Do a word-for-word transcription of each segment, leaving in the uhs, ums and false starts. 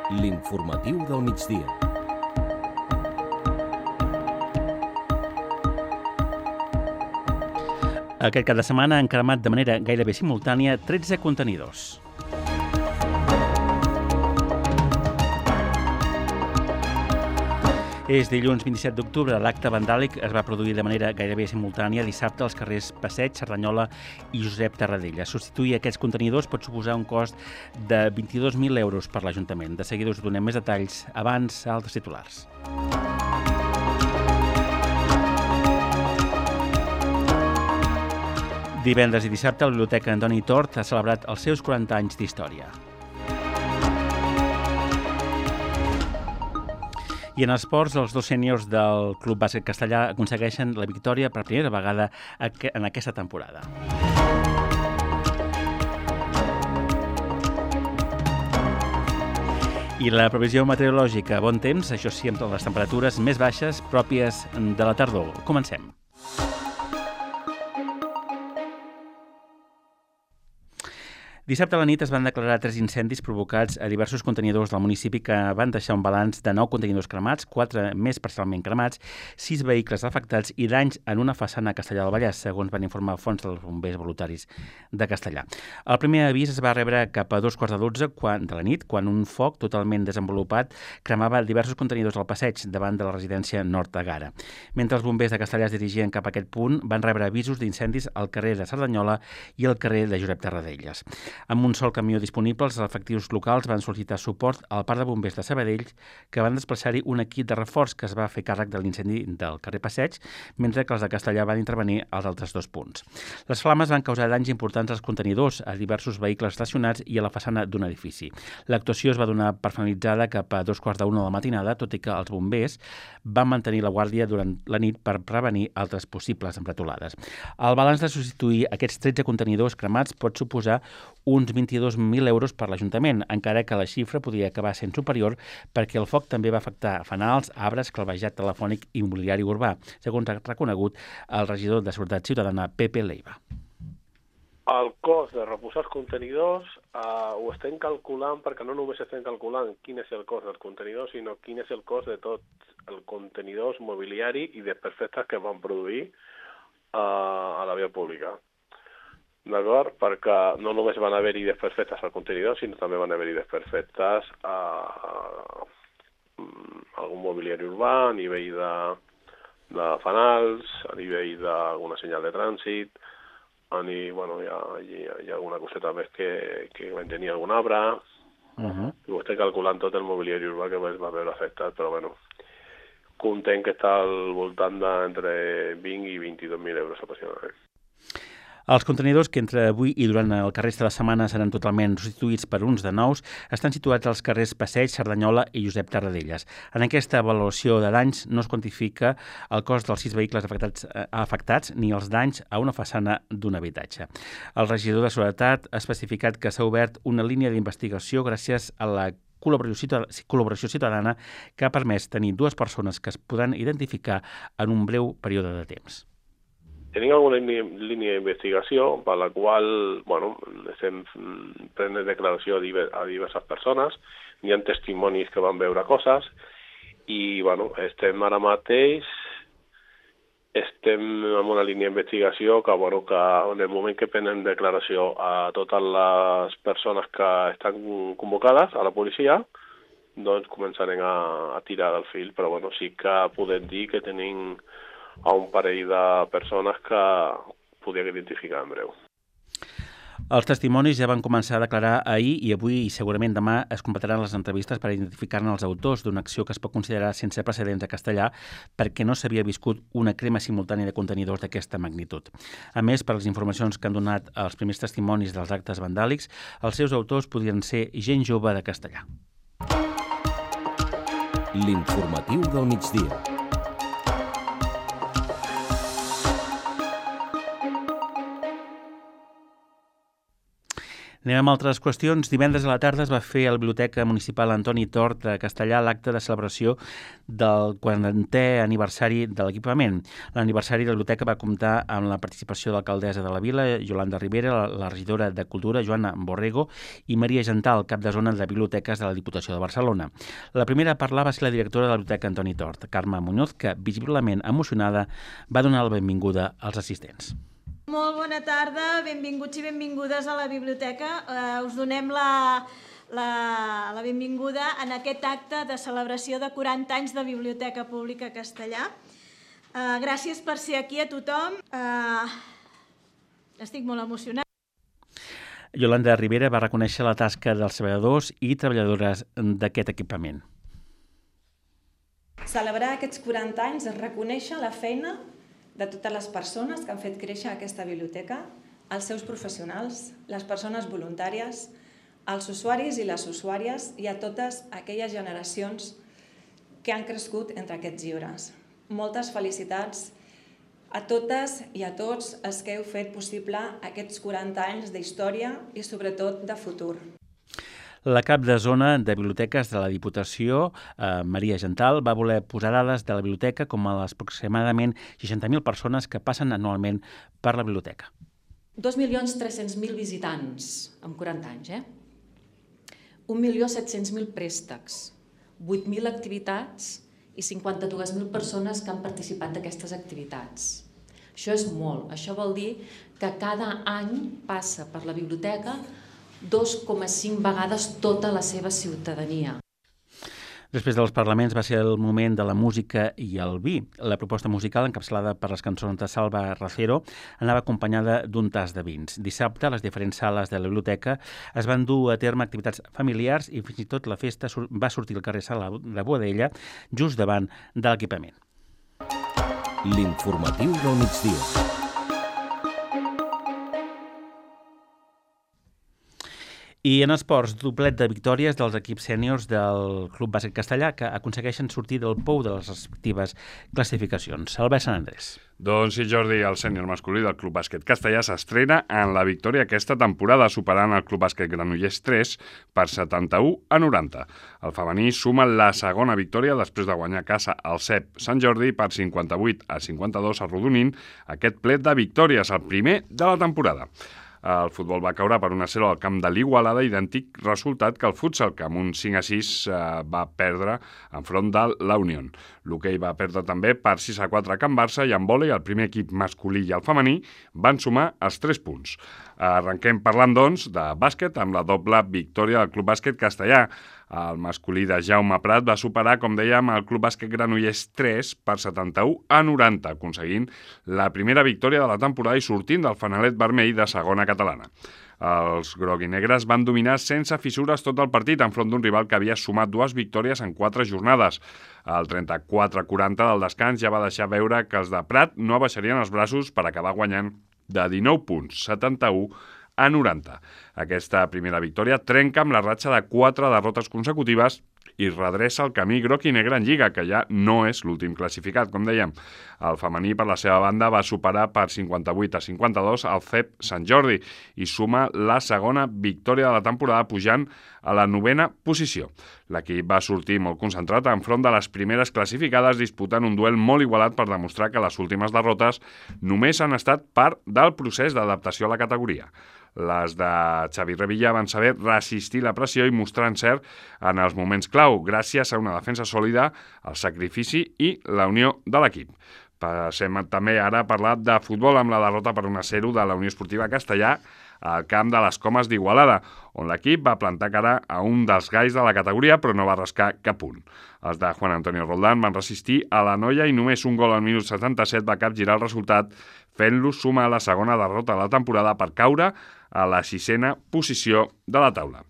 L'informatiu del migdia. Aquest cap de setmana han cremat de manera gairebé simultània tretze contenidors. És dilluns vint-i-set d'octubre. L'acte vandàlic es va produir de manera gairebé simultània dissabte als carrers Passeig, Cerdanyola i Josep Tarradellas. Substituir aquests contenidors pot suposar un cost de vint-i-dos mil euros per l'Ajuntament. De seguida us donem més detalls. Abans, altres titulars. Divendres i dissabte, la Biblioteca Antoni Tort ha celebrat els seus quaranta anys d'història. I en esports, els dos sèniors del Club Bàsquet Castellà aconsegueixen la victòria per primera vegada en aquesta temporada. I la previsió meteorològica, bon temps, això sí, amb les temperatures més baixes pròpies de la tardor. Comencem. Dissabte a la nit es van declarar tres incendis provocats a diversos contenidors del municipi que van deixar un balanç de nou contenidors cremats, quatre més parcialment cremats, sis vehicles afectats i danys en una façana a Castellar del Vallès, segons van informar fonts dels bombers voluntaris de Castellar. El primer avís es va rebre cap a dos quarts de dotze de la nit, quan un foc totalment desenvolupat cremava diversos contenidors al passeig davant de la residència Nord de Gara. Mentre els bombers de Castellar es dirigien cap a aquest punt, van rebre avisos d'incendis al carrer de Cerdanyola i al carrer de Josep Tarradellas. Amb un sol camió disponible, els efectius locals van sol·licitar suport al parc de bombers de Sabadell, que van desplaçar-hi un equip de reforç que es va fer càrrec de l'incendi del carrer Passeig, mentre que els de Castellar van intervenir als altres dos punts. Les flames van causar danys importants als contenidors, a diversos vehicles estacionats i a la façana d'un edifici. L'actuació es va donar per finalitzada cap a dos quarts d'una de la matinada, tot i que els bombers van mantenir la guàrdia durant la nit per prevenir altres possibles empretolades. El balanç de substituir aquests tretze contenidors cremats pot suposar uns vint-i-dos mil euros per l'Ajuntament, encara que la xifra podria acabar sent superior perquè el foc també va afectar fanals, arbres, calvejat telefònic i mobiliari urbà, segons ha reconegut el regidor de Seguretat Ciutadana, Pepe Leiva. El cost de reposar els contenidors eh, ho estem calculant perquè no només estem calculant quin és el cost dels contenidors, sinó quin és el cost de tots els contenidors, mobiliari i desperfectes que es van produir eh, a la via pública. D'acord? Perquè no només van haver-hi desperfectes al contenidor, sinó també van haver-hi desperfectes a, a, a algun mobiliari urbà, a nivell de, de fanals, a nivell d'alguna senyal de trànsit, a nivell, bueno, hi ha, hi ha, hi ha alguna coseta més que, que van tenir algun arbre, uh-huh. I ho estic calculant tot el mobiliari urbà que es va veure afectat, però bueno, content que està al voltant d'entre vint i vint-i-dos mil euros aproximadament. Els contenidors que entre avui i durant el que resta de setmana seran totalment substituïts per uns de nous estan situats als carrers Passeig, Cerdanyola i Josep Tarradellas. En aquesta avaluació de danys no es quantifica el cost dels sis vehicles afectats, eh, afectats ni els danys a una façana d'un habitatge. El regidor de Seguretat ha especificat que s'ha obert una línia d'investigació gràcies a la col·laboració ciutadana que ha permès tenir dues persones que es podran identificar en un breu període de temps. Tenim alguna línia d'investigació per la qual, bueno, estem prenent declaració a diverses persones, hi ha testimonis que van veure coses i, bueno, estem ara mateix, estem en una línia d'investigació que, bueno, que en el moment que prenem declaració a totes les persones que estan convocades a la policia, doncs començarem a, a tirar del fil, però, bueno, sí que podem dir que tenim a un parell de persones que podíem identificar en breu. Els testimonis ja van començar a declarar ahir i avui i segurament demà es completaran les entrevistes per identificar-ne els autors d'una acció que es pot considerar sense precedents a Castellar perquè no s'havia viscut una crema simultània de contenidors d'aquesta magnitud. A més, per les informacions que han donat els primers testimonis dels actes vandàlics, els seus autors podrien ser gent jove de Castellar. L'informatiu del migdia. Anem amb altres qüestions. Divendres a la tarda es va fer a la Biblioteca Municipal Antoni Tort de Castellà l'acte de celebració del quarantè aniversari de l'equipament. L'aniversari de la biblioteca va comptar amb la participació de l'alcaldessa de la vila, Yolanda Rivera, la, la regidora de Cultura, Joana Borrego, i Maria Gental, cap de zona de biblioteques de la Diputació de Barcelona. La primera a parlar va ser la directora de la Biblioteca Antoni Tort, Carme Muñoz, que, visiblement emocionada, va donar la benvinguda als assistents. Molt bona tarda, benvinguts i benvingudes a la biblioteca. Eh, us donem la, la, la benvinguda en aquest acte de celebració de quaranta anys de Biblioteca Pública Castellà. Eh, gràcies per ser aquí a tothom. Eh, estic molt emocionada. Yolanda Rivera va reconèixer la tasca dels treballadors i treballadores d'aquest equipament. Celebrar aquests quaranta anys és reconèixer la feina de totes les persones que han fet créixer aquesta biblioteca, els seus professionals, les persones voluntàries, els usuaris i les usuàries i a totes aquelles generacions que han crescut entre aquests llibres. Moltes felicitats a totes i a tots els que heu fet possible aquests quaranta anys d'història i sobretot de futur. La cap de zona de biblioteques de la Diputació, eh, Maria Gental, va voler posar dades de la biblioteca com a les aproximadament seixanta mil persones que passen anualment per la biblioteca. dos milions tres-cents mil visitants en quaranta anys, eh? un milió set-cents mil préstecs, vuit mil activitats i cinquanta-dues mil persones que han participat d'aquestes activitats. Això és molt. Això vol dir que cada any passa per la biblioteca dos coma cinc vegades tota la seva ciutadania. Després dels parlaments va ser el moment de la música i el vi. La proposta musical, encapçalada per les cançons de Salva Racero, anava acompanyada d'un tas de vins. Dissabte, a les diferents sales de la biblioteca es van dur a terme activitats familiars i fins i tot la festa va sortir al carrer Sala de Boadella, just davant de l'equipament. L'informatiu del migdia. I en esports, doblet de victòries dels equips sèniors del Club Bàsquet Castellà que aconsegueixen sortir del pou de les respectives classificacions. Albert Sant Andrés. Doncs sí, Jordi, el sènior masculí del Club Bàsquet Castellà s'estrena en la victòria aquesta temporada, superant el Club Bàsquet Granollers tres per setanta-u a noranta. El femení suma la segona victòria després de guanyar a casa al C E P Sant Jordi per cinquanta-vuit a cinquanta-dos, arrodonint aquest plet de victòries, el primer de la temporada. El futbol va caure per un a zero al camp de l'Igualada, idèntic resultat que el futsal, que amb un cinc a sis eh, va perdre enfront de la Unió. L'hoquei va perdre també per sis a quatre a Can Barça i en vòlei el primer equip masculí i el femení van sumar els tres punts. Arrenquem parlant, doncs, de bàsquet amb la doble victòria del Club Bàsquet Castellà. El masculí de Jaume Prat va superar, com dèiem, el Club Bàsquet Granollers tres per setanta-u a noranta, aconseguint la primera victòria de la temporada i sortint del fanalet vermell de segona catalana. Els groguinegres van dominar sense fissures tot el partit enfront d'un rival que havia sumat dues victòries en quatre jornades. El trenta-quatre a quaranta del descans ja va deixar veure que els de Prat no abaixarien els braços per acabar guanyant de dinou punts, setanta-u a noranta. Aquesta primera victòria trenca amb la ratxa de quatre derrotes consecutives i redreça el camí groc i negre en Lliga, que ja no és l'últim classificat, com dèiem. El femení, per la seva banda, va superar per cinquanta-vuit a cinquanta-dos al C E P Sant Jordi i suma la segona victòria de la temporada, pujant a la novena posició. L'equip va sortir molt concentrat enfront de les primeres classificades, disputant un duel molt igualat per demostrar que les últimes derrotes només han estat part del procés d'adaptació a la categoria. Les de Xavi Revilla van saber resistir la pressió i mostrar encert en els moments clau, gràcies a una defensa sòlida, el sacrifici i la unió de l'equip. Passem també ara a parlar de futbol amb la derrota per un a zero de la Unió Esportiva Castellà al camp de les Comes d'Igualada, on l'equip va plantar cara a un dels gais de la categoria però no va rascar cap punt. Els de Juan Antonio Roldán van resistir a la noia i només un gol al minut setanta-set va capgirar el resultat, fent-los sumar la segona derrota de la temporada per caure a la sisena posició de la taula.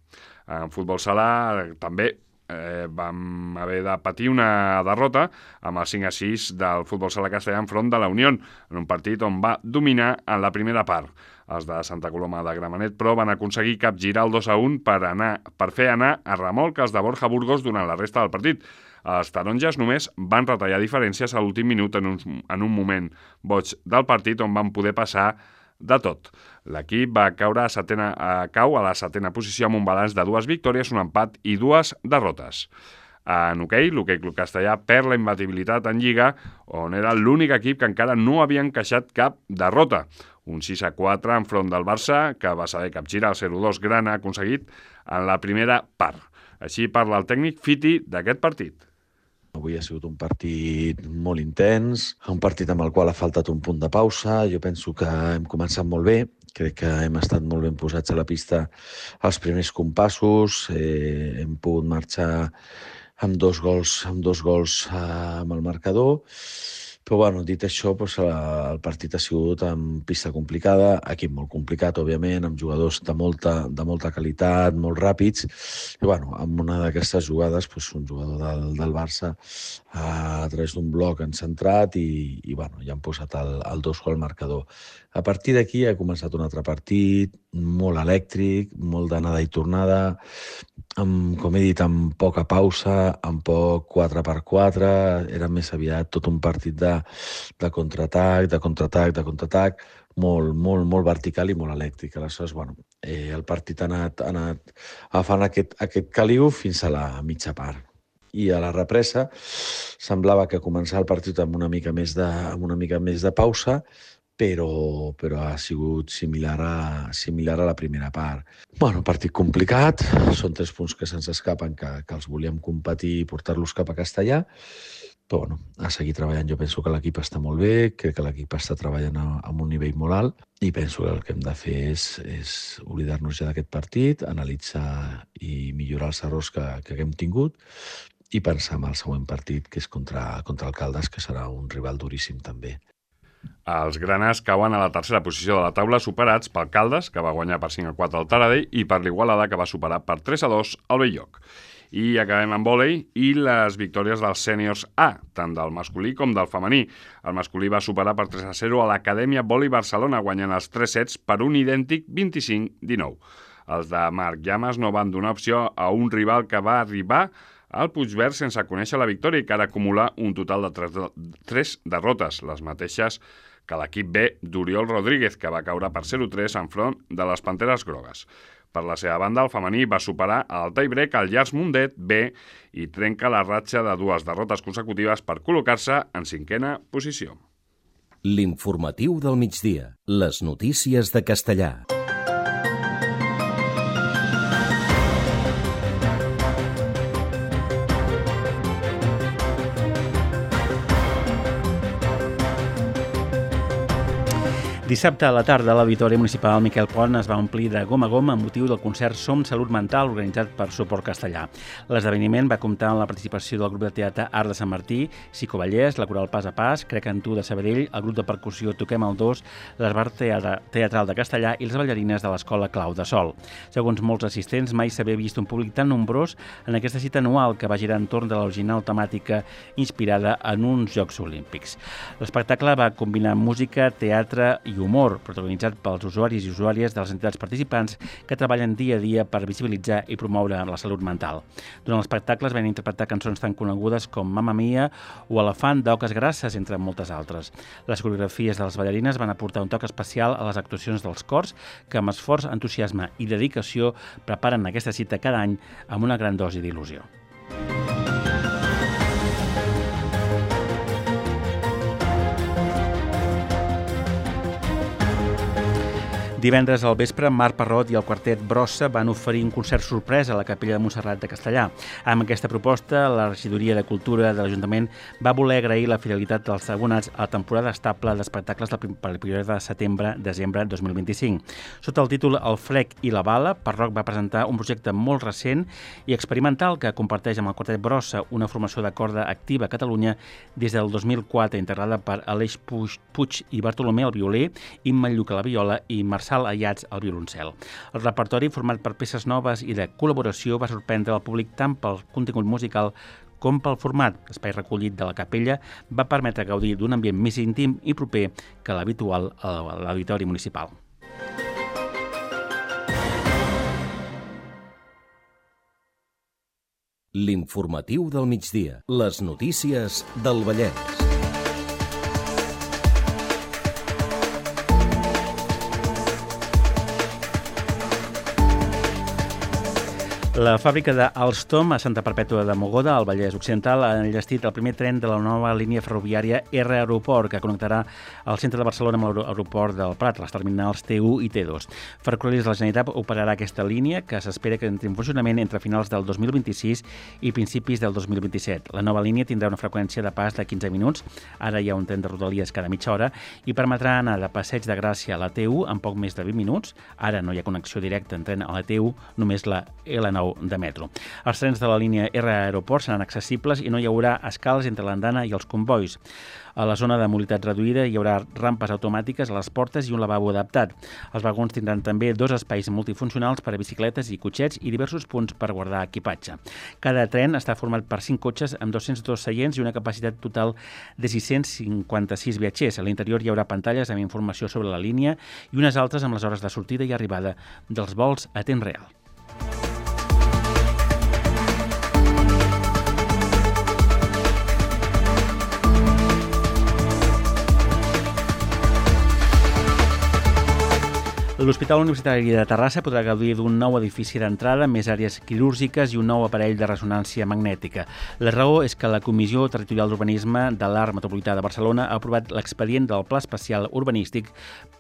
En futbol sala també eh, vam haver de patir una derrota amb el cinc a sis del futbol sala castellà enfront de la Unió, en un partit on va dominar en la primera part. Els de Santa Coloma de Gramenet, però, van aconseguir capgirar el dos a un per, anar, per fer anar a remolc els de Borja Burgos durant la resta del partit. Els taronges només van retallar diferències a l'últim minut en un, en un moment boig del partit on van poder passar de tot. L'equip va caure a, setena, a cau a la setena posició amb un balanç de dues victòries, un empat i dues derrotes. En hoquei, l'Hoquei Club Castellà perd la imbatibilitat en Lliga, on era l'únic equip que encara no havia encaixat cap derrota. Un sis a quatre enfront del Barça, que va saber capgirar el zero dos gran aconseguit en la primera part. Així parla el tècnic Fiti d'aquest partit. Avui ha sigut un partit molt intens, un partit amb el qual ha faltat un punt de pausa. Jo penso que hem començat molt bé, crec que hem estat molt ben posats a la pista als primers compassos, eh, hem pogut marxar amb dos gols, amb dos gols eh, amb el marcador. Però, bueno, dit això, doncs, el partit ha sigut amb pista complicada, equip molt complicat, òbviament, amb jugadors de molta, de molta qualitat, molt ràpids. I, bueno, amb una d'aquestes jugades, doncs, un jugador del, del Barça a través d'un bloc han centrat i, i bueno, ja han posat el, el dos gol al marcador. A partir d'aquí ha començat un altre partit, molt elèctric, molt d'anada i tornada, amb, com he dit, amb poca pausa, amb poc quatre per quatre, era més aviat tot un partit de, de contraatac, de contraatac, de contraatac, molt, molt, molt vertical i molt elèctric. Aleshores, bueno, eh, el partit ha anat, ha anat agafant aquest, aquest caliu fins a la mitja part. I a la represa semblava que començava el partit amb una mica més de, amb una mica més de pausa, però, però ha sigut similar a, similar a la primera part. Bueno, partit complicat, són tres punts que se'ns escapen, que, que els volíem competir i portar-los cap a Castellà, però bueno, a seguir treballant. Jo penso que l'equip està molt bé, crec que l'equip està treballant a, a un nivell molt alt i penso que el que hem de fer és, és oblidar-nos ja d'aquest partit, analitzar i millorar els errors que, que hem tingut i pensar en el següent partit, que és contra, contra el Caldes, que serà un rival duríssim també. Els graners cauen a la tercera posició de la taula, superats pel Caldes, que va guanyar per cinc a quatre al Taradell, i per l'Igualada, que va superar per tres a dos al Bell-lloc. I acabem amb vòlei i les victòries dels sèniors A, tant del masculí com del femení. El masculí va superar per tres a zero a l'Acadèmia Vòlei Barcelona, guanyant els tres sets per un idèntic vint-i-cinc a dinou. Els de Marc Llamas no van donar opció a un rival que va arribar al Puigverd sense conèixer la victòria i que ara acumula un total de tres, tres derrotes, les mateixes que l'equip B d'Oriol Rodríguez, que va caure per zero a tres enfront de les Panteres Grogues. Per la seva banda, el femení va superar al tie-break al Llars Mundet B i trenca la ratxa de dues derrotes consecutives per col·locar-se en cinquena posició. L'informatiu del migdia. Les notícies de Castellà. Dissabte a la tarda, l'Auditori Municipal Miquel Pont es va omplir de gom a gom amb motiu del concert Som Salut Mental, organitzat per Suport Castellà. L'esdeveniment va comptar amb la participació del grup de teatre Art de Sant Martí, Xico Vallès, la coral Pas a Pas, Crec en tu de Sabadell, el grup de percussió Toquem el dos, l'Esbar Teatral de Castellà i les ballarines de l'Escola Clau de Sol. Segons molts assistents, mai s'havia vist un públic tan nombrós en aquesta cita anual que va girar entorn de l'original temàtica inspirada en uns Jocs Olímpics. L'espectacle va combinar música, teatre i humor, protagonitzat pels usuaris i usuàries de les entitats participants que treballen dia a dia per visibilitzar i promoure la salut mental. Durant l'espectacle es van interpretar cançons tan conegudes com Mamma Mia o Elefant d'Oques Grasses, entre moltes altres. Les coreografies de les ballarines van aportar un toc especial a les actuacions dels cors que amb esforç, entusiasme i dedicació preparen aquesta cita cada any amb una gran dosi d'il·lusió. Divendres al vespre, Marc Parrot i el quartet Brossa van oferir un concert sorpresa a la Capella de Montserrat de Castellà. Amb aquesta proposta, la Regidoria de Cultura de l'Ajuntament va voler agrair la fidelitat dels abonats a la temporada estable d'espectacles per el període de setembre-desembre dos mil vint-i-cinc. Sota el títol El Frec i la Bala, Parrot va presentar un projecte molt recent i experimental que comparteix amb el quartet Brossa, una formació de corda activa a Catalunya des del dos mil quatre, integrada per Aleix Puig i Bartolomé al violí, Imma Lluc a la viola i Marçal Ayats al violoncel. El repertori, format per peces noves i de col·laboració, va sorprendre el públic tant pel contingut musical com pel format. L'espai recollit de la capella va permetre gaudir d'un ambient més íntim i proper que l'habitual a l'Auditori Municipal. L'informatiu del migdia. Les notícies del Vallès. La fàbrica d'Alstom, a Santa Perpètua de Mogoda, al Vallès Occidental, ha enllestit el primer tren de la nova línia ferroviària R Aeroport, que connectarà el centre de Barcelona amb l'aeroport del Prat, les terminals T u i T dos. Ferrocarrils de la Generalitat operarà aquesta línia, que s'espera que entri en funcionament entre finals del dos mil vint-i-sis i principis del dos mil vint-i-set. La nova línia tindrà una freqüència de pas de quinze minuts, ara hi ha un tren de Rodalies cada mitja hora, i permetrà anar de Passeig de Gràcia a la T u en poc més de vint minuts. Ara no hi ha connexió directa en tren a la T u, només la L nou de metro. Els trens de la línia R Aeroport seran accessibles i no hi haurà escales entre l'andana i els convois. A la zona de mobilitat reduïda hi haurà rampes automàtiques a les portes i un lavabo adaptat. Els vagons tindran també dos espais multifuncionals per a bicicletes i cotxets i diversos punts per guardar equipatge. Cada tren està format per cinc cotxes amb dos-cents dos seients i una capacitat total de sis-cents cinquanta-sis viatgers. A l'interior hi haurà pantalles amb informació sobre la línia i unes altres amb les hores de sortida i arribada dels vols a temps real. L'Hospital Universitari de Terrassa podrà gaudir d'un nou edifici d'entrada, més àrees quirúrgiques i un nou aparell de ressonància magnètica. La raó és que la Comissió Territorial d'Urbanisme de l'Arc Metropolità de Barcelona ha aprovat l'expedient del Pla Especial Urbanístic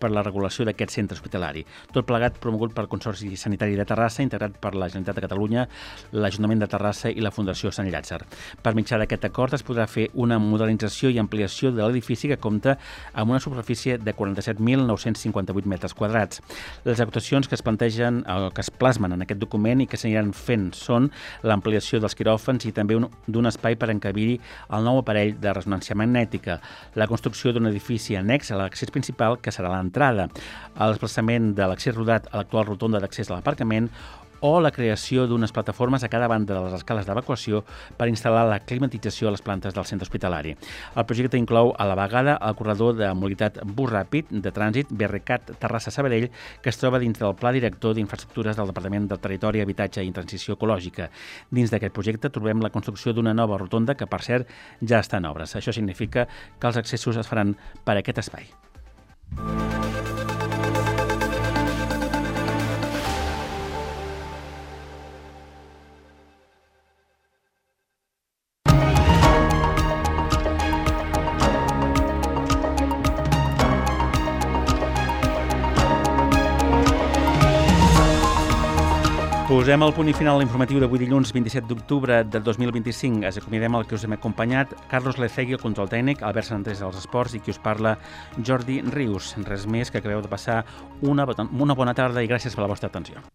per la regulació d'aquest centre hospitalari. Tot plegat promogut pel Consorci Sanitari de Terrassa, integrat per la Generalitat de Catalunya, l'Ajuntament de Terrassa i la Fundació Sant Llàtzer. Per mitjà d'aquest acord es podrà fer una modernització i ampliació de l'edifici que compta amb una superfície de quaranta-set mil nou-cents cinquanta-vuit metres quadrats. Les actuacions que es plantegen, que es plasmen en aquest document i que s'aniran fent són l'ampliació dels quiròfans i també un, d'un espai per encabir-hi el nou aparell de ressonància magnètica, la construcció d'un edifici annex a l'accés principal, que serà l'entrada, el desplaçament de l'accés rodat a l'actual rotonda d'accés a l'aparcament o la creació d'unes plataformes a cada banda de les escales d'evacuació per instal·lar la climatització a les plantes del centre hospitalari. El projecte inclou a la vegada el corredor de mobilitat bus ràpid de trànsit B R C A T Terrassa-Sabadell, que es troba dins del Pla Director d'Infraestructures del Departament del Territori, Habitatge i Transició Ecològica. Dins d'aquest projecte trobem la construcció d'una nova rotonda que, per cert, ja està en obres. Això significa que els accessos es faran per aquest espai. Posem el punt i final a l'informatiu d'avui dilluns vint-i-set d'octubre del dos mil vint-i-cinc. Es acomiadem el que us hem acompanyat, Carlos Lecegui, el control tècnic, Albert Santés dels esports i qui us parla, Jordi Rius. Res més, que acabeu de passar una, una bona tarda i gràcies per la vostra atenció.